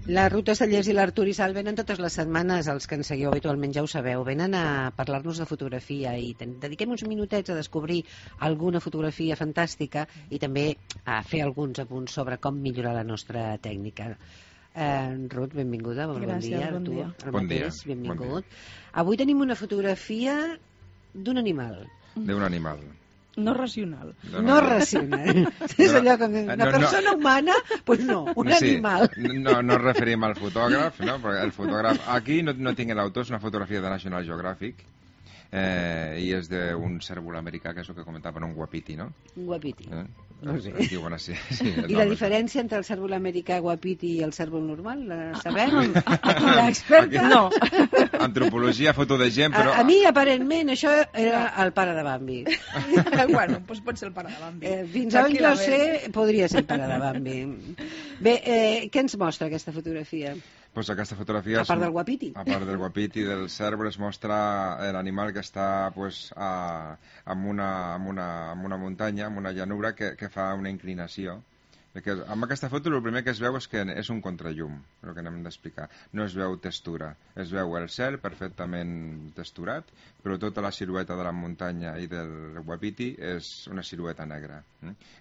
La Ruth Estellers i l'Artur Isal venen totes les setmanes, els que ens seguiu habitualment ja ho sabeu, venen a parlar-nos de fotografia i dediquem uns minutets a descobrir alguna fotografia fantàstica i també a fer alguns apunts sobre com millorar la nostra tècnica. Ruth, benvinguda, bon dia. Bon dia. Bon dia. Benvingut. Avui tenim una fotografia d'un animal. D'un animal. No racional. No racional. És allò com una persona humana, doncs no, un animal. No ens referim al fotògraf, no? Perquè el fotògraf... Aquí no tinc l'autor, és una fotografia de National Geographic i és d'un cèrvol americà, que és el que comentava, un guapiti, no? Un guapiti. No sé. Diuen així. I la diferència entre el cèrvol americà guapiti i el cèrvol normal, la sabem? Aquí l'experta? No. Antropologia, foto de gent, però... A mi, aparentment, això era el pare de Bambi. Bueno, doncs pot ser el pare de Bambi. Fins on jo sé, podria ser el pare de Bambi. Bé, què ens mostra aquesta fotografia? Pues aquesta fotografia... A part del guapiti. A part del guapiti, del cèrvol, es mostra l'animal que està pues, en una muntanya, en una llanura, que fa una inclinació. Perquè amb aquesta foto el primer que es veu és que és un contrallum, el que hem d'explicar. No es veu textura, es veu el cel perfectament texturat, però tota la silueta de la muntanya i del guapiti és una silueta negra.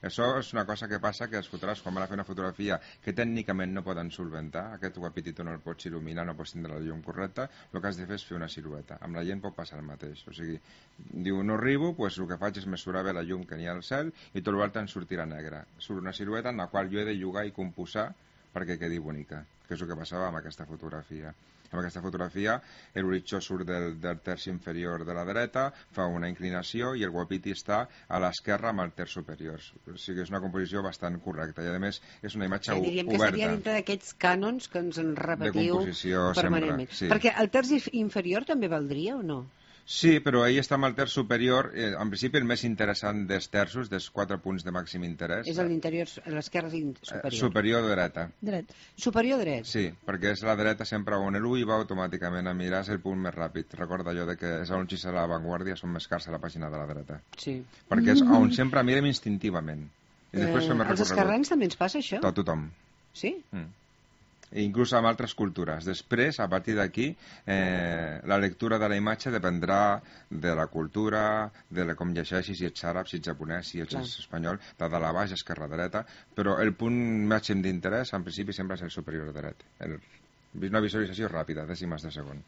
Això és una cosa que passa que els fotògrafs, quan van a fer una fotografia que tècnicament no poden solventar, aquest guapiti tu no el pots il·luminar, no pots tindre la llum correcta, el que has de fer és fer una silueta. Amb la gent pot passar el mateix. O sigui, diu, no arribo, doncs el que faig és mesurar bé la llum que n'hi ha al cel i tot l'altre en sortirà negra. Surt una silueta en la qual jo he de jugar i composar perquè quedi bonica, que és el que passava amb aquesta fotografia. Amb aquesta fotografia l'horitzó surt del terç inferior de la dreta, fa una inclinació i el guapiti està a l'esquerra amb el terç superior. O sigui, és una composició bastant correcta i a més és una imatge oberta. Diríem que seria dintre d'aquests cànons que ens en repetiu permanentment. Sí. Perquè el terç inferior també valdria o no? Sí, però ahir està amb el terç superior. En principi el més interessant dels terços, dels 4 punts de màxim interès... És l'interior, l'esquerra superior. Superior dreta. Dret. Superior dret? Sí, perquè és la dreta sempre on l'ull va automàticament a mirar el punt més ràpid. Recorda allò de que és on si serà l'avantguàrdia, són més cars a la pàgina de la dreta. Sí. Perquè és on sempre mirem instintivament. I després fem el als esquerrans també ens passa això? A tothom. Sí? I inclús amb altres cultures. Després, a partir d'aquí, la lectura de la imatge dependrà de la cultura, de com llegeixis, si ets àrab, si ets japonès, si ets espanyol, de dalt a baix, esquerra, dreta, però el punt màxim d'interès, en principi, sempre és el superior dret. Una visualització ràpida, dècimes de segon.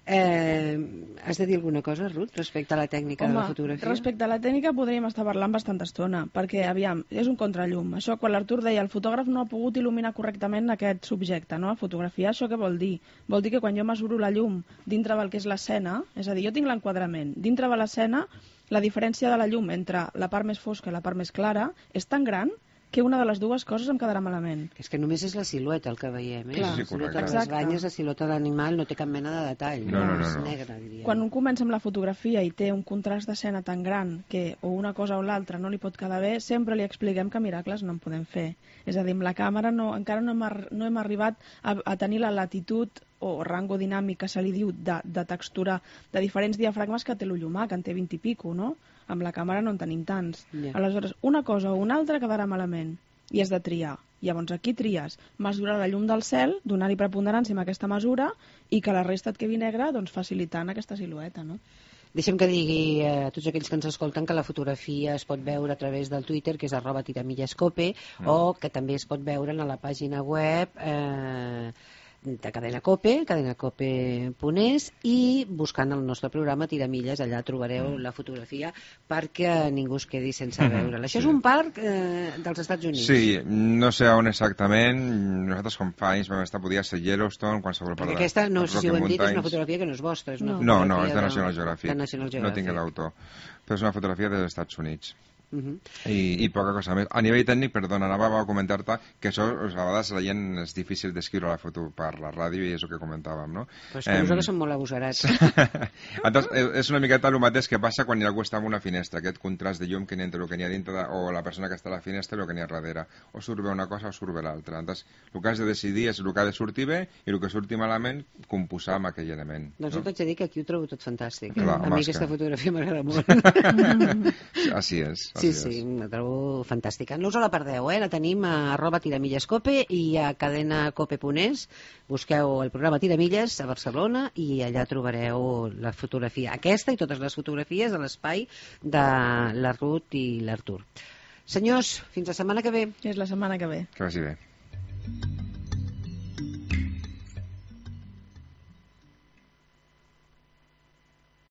Has de dir alguna cosa, Ruth, respecte a la tècnica de la fotografia? Respecte a la tècnica podríem estar parlant bastanta estona, perquè, aviam, és un contrallum. Això, quan l'Artur deia, el fotògraf no ha pogut il·luminar correctament aquest subjecte, no? A fotografiar, això què vol dir? Vol dir que quan jo mesuro la llum dintre del que és l'escena, és a dir, jo tinc l'enquadrament, dintre de l'escena, la diferència de la llum entre la part més fosca i la part més clara és tan gran que una de les dues coses em quedarà malament. És que només és la silueta el que veiem, Clar. Sí, la silueta de correcte. les banyes, la silueta de l'animal no té cap mena de detall. No. És negra, diríem. Quan un comença amb la fotografia i té un contrast d'escena tan gran que o una cosa o l'altra no li pot quedar bé, sempre li expliquem que miracles no en podem fer. És a dir, amb la càmera encara no hem arribat a tenir la latitud o rango dinàmic que se li diu de textura de diferents diafragmes que té l'ull humà, que en té 20 i pico, no? Amb la càmera no en tenim tants. Aleshores, una cosa o una altra quedarà malament i has de triar. Llavors aquí tries mesurar la llum del cel, donar-hi preponderància amb aquesta mesura i que la resta et quedi negra, doncs facilitant aquesta silueta, no? Deixem que digui a tots aquells que ens escolten que la fotografia es pot veure a través del Twitter, que és @tiramillescope, o que també es pot veure a la pàgina web de Cadena Cope, cadenacope.es, i buscant el nostre programa Tiramilles, allà trobareu la fotografia perquè ningú es quedi sense veure-la. Això és un parc dels Estats Units. Sí, no sé on exactament. Nosaltres com fa anys vam estar, podia ser Yellowstone, qualsevol part de... Perquè aquesta, no sé si ho hem dit, és una fotografia que no és vostra. És una no, és de National Geographic. No tinc l'autor. Però és una fotografia dels Estats Units. I poca cosa més. A nivell tècnic, perdona, anava a comentar-te que això, a vegades la gent és difícil descriure la foto per la ràdio i és el que comentàvem, no? Però és que nosaltres som molt agosarats. Entonces, és una miqueta el mateix que passa quan algú està en una finestra, aquest contrast de llum que n'hi ha entre el que n'hi ha dintre o la persona que està a la finestra i el que n'hi ha darrere. O surt bé una cosa o surt bé l'altra. Entonces, el que has de decidir és el que ha de sortir bé i el que surti malament, composar amb aquell element. Doncs jo t'haig de dir que aquí ho trobo tot fantàstic. Clar, a mi aquesta fotografia m'agrada molt. Així és. Sí, sí, la trobo fantàstica. No us la perdeu, la tenim a @tiramillescope i a cadenacope.es. Busqueu el programa Tiramilles a Barcelona i allà trobareu la fotografia, aquesta i totes les fotografies de l'espai de la Ruth i l'Artur. Senyors, fins la setmana que ve. És la setmana que ve. Que vagi bé.